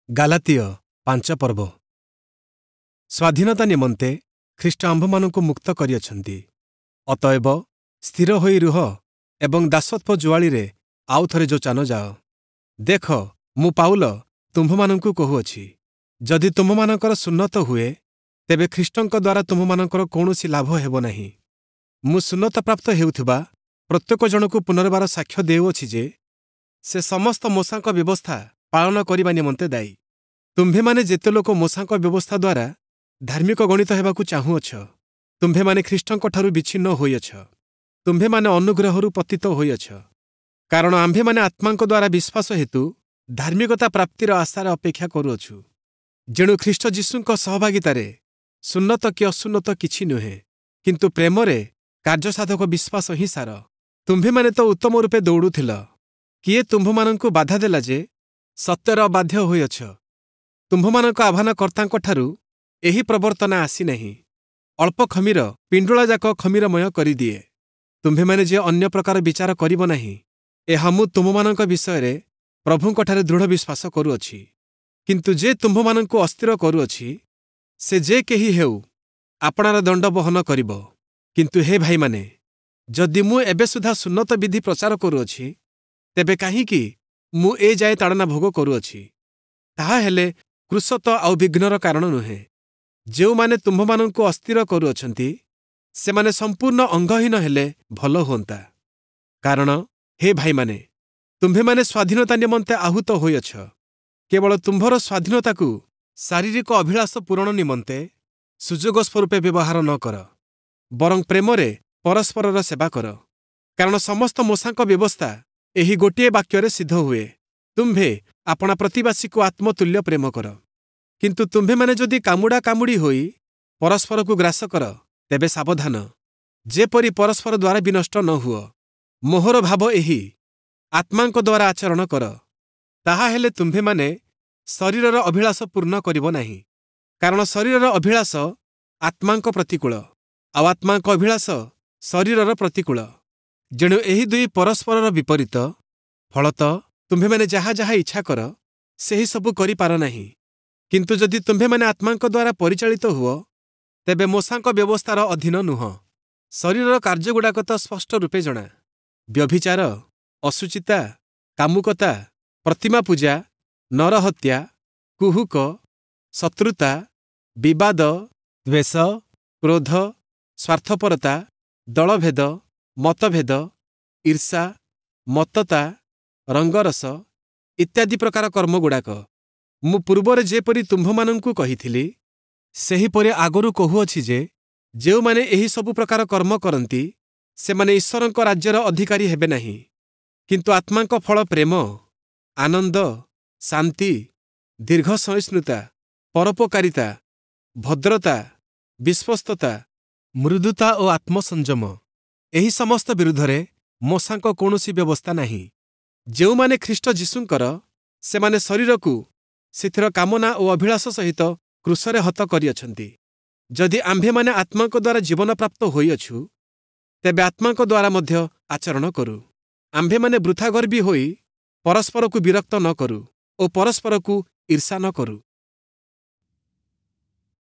Galatia ପାଞ୍ଚ ପର୍ବ। ସ୍ୱାଧୀନତା ନିମନ୍ତେ ଖ୍ରୀଷ୍ଟ ଆମ୍ଭମାନଙ୍କୁ ମୁକ୍ତ କରିଅଛନ୍ତି। ଅତଏବ ସ୍ଥିର ହୋଇ ରୁହ ଏବଂ ଦାସତ୍ୱ ଜୁଆଳିରେ ଆଉ ଥରେ ଯୋଚା ନ ଯାଅ। ଦେଖ, ମୁଁ ପାଉଲ ତୁମ୍ଭମାନଙ୍କୁ କହୁଅଛି, ଯଦି ତୁମ୍ଭମାନଙ୍କର ସୁନ୍ନତ ହୁଏ, ତେବେ ଖ୍ରୀଷ୍ଟଙ୍କ ଦ୍ୱାରା ତୁମ୍ଭମାନଙ୍କର କୌଣସି ଲାଭ ହେବ ନାହିଁ। ମୁଁ ସୁନ୍ନତପ୍ରାପ୍ତ ହେଉଥିବା ପ୍ରତ୍ୟେକ ଜଣକୁ ପୁନର୍ବାର ସାକ୍ଷ୍ୟ ଦେଉଅଛି ଯେ, ସେ ସମସ୍ତ ମୋଶାଙ୍କ ବ୍ୟବସ୍ଥା ପାଳନ କରିବା ନିମନ୍ତେ ଦାୟୀ। ତୁମ୍ଭେମାନେ ଯେତେ ଲୋକ ମୋଶାଙ୍କ ବ୍ୟବସ୍ଥା ଦ୍ୱାରା ଧାର୍ମିକ ଗଣିତ ହେବାକୁ ଚାହୁଁଅଛ, ତୁମ୍ଭେମାନେ ଖ୍ରୀଷ୍ଟଙ୍କଠାରୁ ବିଚ୍ଛିନ୍ନ ହୋଇଅଛ, ତୁମ୍ଭେମାନେ ଅନୁଗ୍ରହରୁ ପତିତ ହୋଇଅଛ। କାରଣ ଆମ୍ଭେମାନେ ଆତ୍ମାଙ୍କ ଦ୍ୱାରା ବିଶ୍ୱାସ ହେତୁ ଧାର୍ମିକତା ପ୍ରାପ୍ତିର ଆଶାରେ ଅପେକ୍ଷା କରୁଅଛୁ। ଯେଣୁ ଖ୍ରୀଷ୍ଟ ଯୀଶୁଙ୍କ ସହଭାଗିତାରେ ସୁନ୍ନତ କି ଅସୁନ୍ନତ କିଛି ନୁହେଁ, କିନ୍ତୁ ପ୍ରେମରେ କାର୍ଯ୍ୟସାଧକ ବିଶ୍ୱାସ ହିଁ ସାର। ତୁମ୍ଭେମାନେ ତ ଉତ୍ତମ ରୂପେ ଦୌଡ଼ୁଥିଲ। କିଏ ତୁମ୍ଭମାନଙ୍କୁ ବାଧା ଦେଲା ଯେ ସତ୍ୟର ଅବାଧ୍ୟ ହୋଇଅଛ? ତୁମ୍ଭମାନଙ୍କ ଆହ୍ୱାନକର୍ତ୍ତାଙ୍କଠାରୁ ଏହି ପ୍ରବର୍ତ୍ତନା ଆସିନାହିଁ। ଅଳ୍ପ ଖମୀର ପିଣ୍ଡୁଳାଯାକ ଖମୀରମୟ କରିଦିଏ। ତୁମ୍ଭେମାନେ ଯେ ଅନ୍ୟ ପ୍ରକାର ବିଚାର କରିବ ନାହିଁ, ଏହା ମୁଁ ତୁମ୍ଭମାନଙ୍କ ବିଷୟରେ ପ୍ରଭୁଙ୍କଠାରେ ଦୃଢ଼ ବିଶ୍ୱାସ କରୁଅଛି। କିନ୍ତୁ ଯେ ତୁମ୍ଭମାନଙ୍କୁ ଅସ୍ଥିର କରୁଅଛି, ସେ ଯେ କେହି ହେଉ, ଆପଣାର ଦଣ୍ଡ ବହନ କରିବ। କିନ୍ତୁ ହେ ଭାଇମାନେ, ଯଦି ମୁଁ ଏବେ ସୁଦ୍ଧା ସୁନ୍ନତ ବିଧି ପ୍ରଚାର କରୁଅଛି, ତେବେ କାହିଁକି ମୁଁ ଏ ଯାଏ ତାଡ଼ନା ଭୋଗ କରୁଅଛି? ତାହା ହେଲେ କ୍ରୁଶ ତ ଆଉ ବିଘ୍ନର କାରଣ ନୁହେଁ। ଯେଉଁମାନେ ତୁମ୍ଭମାନଙ୍କୁ ଅସ୍ଥିର କରୁଅଛନ୍ତି, ସେମାନେ ସମ୍ପୂର୍ଣ୍ଣ ଅଙ୍ଗହୀନ ହେଲେ ଭଲ ହୁଅନ୍ତା। କାରଣ ହେ ଭାଇମାନେ, ତୁମ୍ଭେମାନେ ସ୍ୱାଧୀନତା ନିମନ୍ତେ ଆହୁତ ହୋଇଅଛ। କେବଳ ତୁମ୍ଭର ସ୍ୱାଧୀନତାକୁ ଶାରୀରିକ ଅଭିଳାଷ ପୂରଣ ନିମନ୍ତେ ସୁଯୋଗ ସ୍ୱରୂପେ ବ୍ୟବହାର ନ କର, ବରଂ ପ୍ରେମରେ ପରସ୍ପରର ସେବା କର। କାରଣ ସମସ୍ତ ମୋଶାଙ୍କ ବ୍ୟବସ୍ଥା ଏହି ଗୋଟିଏ ବାକ୍ୟରେ ସିଦ୍ଧ ହୁଏ, ତୁମ୍ଭେ ଆପଣା ପ୍ରତିବାସୀକୁ ଆତ୍ମତୁଲ୍ୟ ପ୍ରେମ କର। କିନ୍ତୁ ତୁମ୍ଭେମାନେ ଯଦି କାମୁଡ଼ା କାମୁଡ଼ି ହୋଇ ପରସ୍ପରକୁ ଗ୍ରାସ କର, ତେବେ ସାବଧାନ, ଯେପରି ପରସ୍ପର ଦ୍ୱାରା ବିନଷ୍ଟ ନ ହୁଅ। ମୋହର ଭାବ ଏହି, ଆତ୍ମାଙ୍କ ଦ୍ୱାରା ଆଚରଣ କର, ତାହା ହେଲେ ତୁମ୍ଭେମାନେ ଶରୀରର ଅଭିଳାଷ ପୂର୍ଣ୍ଣ କରିବ ନାହିଁ। କାରଣ ଶରୀରର ଅଭିଳାଷ ଆତ୍ମାଙ୍କ ପ୍ରତିକୂଳ, ଆଉ ଆତ୍ମାଙ୍କ ଅଭିଳାଷ ଶରୀରର ପ୍ରତିକୂଳ। ଯେଣୁ ଏହି ଦୁଇ ପରସ୍ପରର ବିପରୀତ। ଫଳତଃ ତୁମ୍ଭେମାନେ ଯାହା ଯାହା ଇଚ୍ଛା କର, ସେହି ସବୁ କରିପାର ନାହିଁ। କିନ୍ତୁ ଯଦି ତୁମ୍ଭେମାନେ ଆତ୍ମାଙ୍କ ଦ୍ୱାରା ପରିଚାଳିତ ହୁଅ, ତେବେ ମୋଶାଙ୍କ ବ୍ୟବସ୍ଥାର ଅଧୀନ ନୁହଁ। ଶରୀରର କାର୍ଯ୍ୟଗୁଡ଼ାକ ତ ସ୍ପଷ୍ଟ ରୂପେ ଜଣା: ବ୍ୟଭିଚାର, ଅଶୁଚିତା, କାମୁକତା, ପ୍ରତିମା ପୂଜା, ନରହତ୍ୟା, କୁହୁକ, ଶତ୍ରୁତା, ବିବାଦ, ଦ୍ୱେଷ, କ୍ରୋଧ, ସ୍ୱାର୍ଥପରତା, ଦଳଭେଦ, ମତଭେଦ, ଈର୍ଷା, ମତ୍ତତା, ରଙ୍ଗରସ ଇତ୍ୟାଦି ପ୍ରକାର କର୍ମଗୁଡ଼ାକ। ମୁଁ ପୂର୍ବରେ ଯେପରି ତୁମ୍ଭମାନଙ୍କୁ କହିଥିଲି, ସେହିପରି ଆଗରୁ କହୁଅଛି ଯେ, ଯେଉଁମାନେ ଏହି ସବୁ ପ୍ରକାର କର୍ମ କରନ୍ତି, ସେମାନେ ଈଶ୍ୱରଙ୍କ ରାଜ୍ୟର ଅଧିକାରୀ ହେବେ ନାହିଁ। କିନ୍ତୁ ଆତ୍ମାଙ୍କ ଫଳ ପ୍ରେମ, ଆନନ୍ଦ, ଶାନ୍ତି, ଦୀର୍ଘ ସହିଷ୍ଣୁତା, ପରୋପକାରିତା, ଭଦ୍ରତା, ବିଶ୍ୱସ୍ତତା, ମୃଦୁତା ଓ ଆତ୍ମସଂଯମ। ଏହି ସମସ୍ତ ବିରୁଦ୍ଧରେ ମୋଶାଙ୍କ କୌଣସି ବ୍ୟବସ୍ଥା ନାହିଁ। ଯେଉଁମାନେ ଖ୍ରୀଷ୍ଟ ଯୀଶୁଙ୍କର, ସେମାନେ ଶରୀରକୁ ସେଥିର କାମନା ଓ ଅଭିଳାଷ ସହିତ କ୍ରୁଶରେ ହତ କରିଅଛନ୍ତି। ଯଦି ଆମ୍ଭେମାନେ ଆତ୍ମାଙ୍କ ଦ୍ୱାରା ଜୀବନପ୍ରାପ୍ତ ହୋଇଅଛୁ, ତେବେ ଆତ୍ମାଙ୍କ ଦ୍ୱାରା ମଧ୍ୟ ଆଚରଣ କରୁ। ଆମ୍ଭେମାନେ ବୃଥା ଗର୍ବୀ ହୋଇ ପରସ୍ପରକୁ ବିରକ୍ତ ନ କରୁ ଓ ପରସ୍ପରକୁ ଈର୍ଷା ନ କରୁ।